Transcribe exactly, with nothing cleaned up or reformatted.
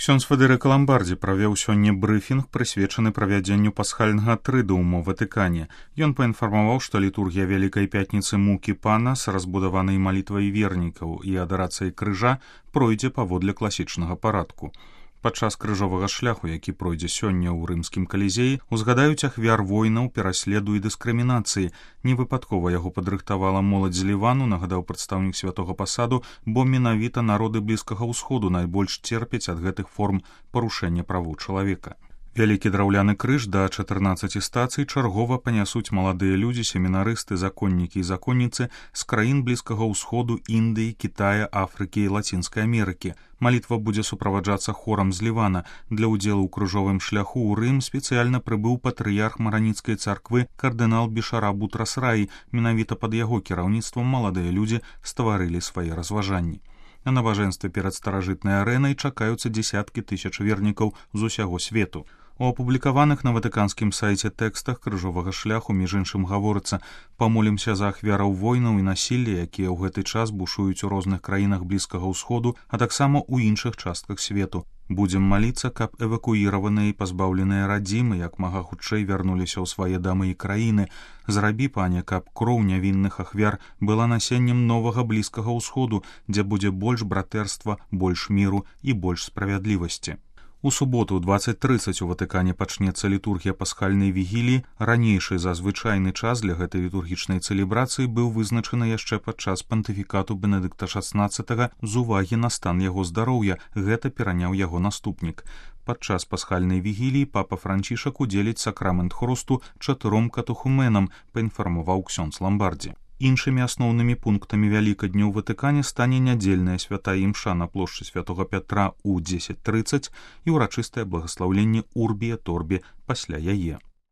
Ксёндз Федэрыка Ламбардзі правёў сёння брыфінг, прысвечаны правядзенню пасхальнага трыдыуму ў Ватыкане. Ён паінфармаваў, што літургія Вялікай Пятніцы Мукі Пана з разбудаванай малітвай вернікаў і адарацыяй крыжа пройдзе паводле класічнага парадку. Падчас крыжовага шляху, які пройдзе сёння ў рымскім калізеі, узгадаюць ахвяр войнаў, пераследу і дыскрымінацыі. Невыпадкова яго падрыхтавала моладзь з Лівану, нагадаў прадстаўнік святога пасаду, бо менавіта народы Блізкага ўсходу найбольш церпяць ад гэтых форм парушэння правоў чалавека. Вялікі драўляны крыж да чатырнаццаці стацый чаргова панясуць маладыя людзі, семінарысты, законнікі і законніцы з краін Блізкага ўсходу, Індыі, Кітая, Афрыкі і Лацінскай Амерыкі. Малітва будзе суправаджацца хорам з Лівана. Для ўдзелу ў крыжовым шляху ў Рым спецыяльна прыбыў патрыярх Мараніцкай царквы кардынал Бішара Бутрас-Раі. Менавіта пад яго кіраўніцтвам маладыя людзі стварылі свае разважанні. На набажэнстве перад старажытнай арэнай чакаюцца дзесяткі тысяч вернікаў з усяго свету. У апублікаваных на ватыканскім сайце тэкстах крыжовага шляху, між іншым, гаворыцца: «Памолімся за ахвяраў войнаў і насілля, якія ў гэты час бушуюць у розных краінах Блізкага ўсходу, а таксама ў іншых частках свету. Будзем маліцца, каб эвакуіраваныя і пазбаўленыя радзімы як мага хутчэй вярнуліся ў свае дамы і краіны. Зрабі, пане, каб кроў нявінных ахвяр была насеннем новага Блізкага ўсходу, дзе будзе больш братэрства, больш міру і больш справядлівасці». У суботу ў дваццаць трыццаць у Ватыкане пачнецца літургія пасхальнай вігіліі. Ранейшы за звычайны час для гэтай літургічнай цэлебрацыі быў вызначаны яшчэ падчас пантыфікату Бенедыкта шаснаццатага з увагі на стан яго здароўя. Гэта пераняў яго наступнік. Падчас пасхальнай вігіліі папа Францішак удзеліць сакрамент хрусту чатыром катэхуменам, паінфармаваў ксёндз Ламбардзі. Іншымі асноўнымі пунктамі Вялікадню ў Ватыкане стане нядзельная святая імша на плошчы святога Пятра ў дзесяць трыццаць і ўрачыстае благаслаўленне Урбі et Орбі пасля яе.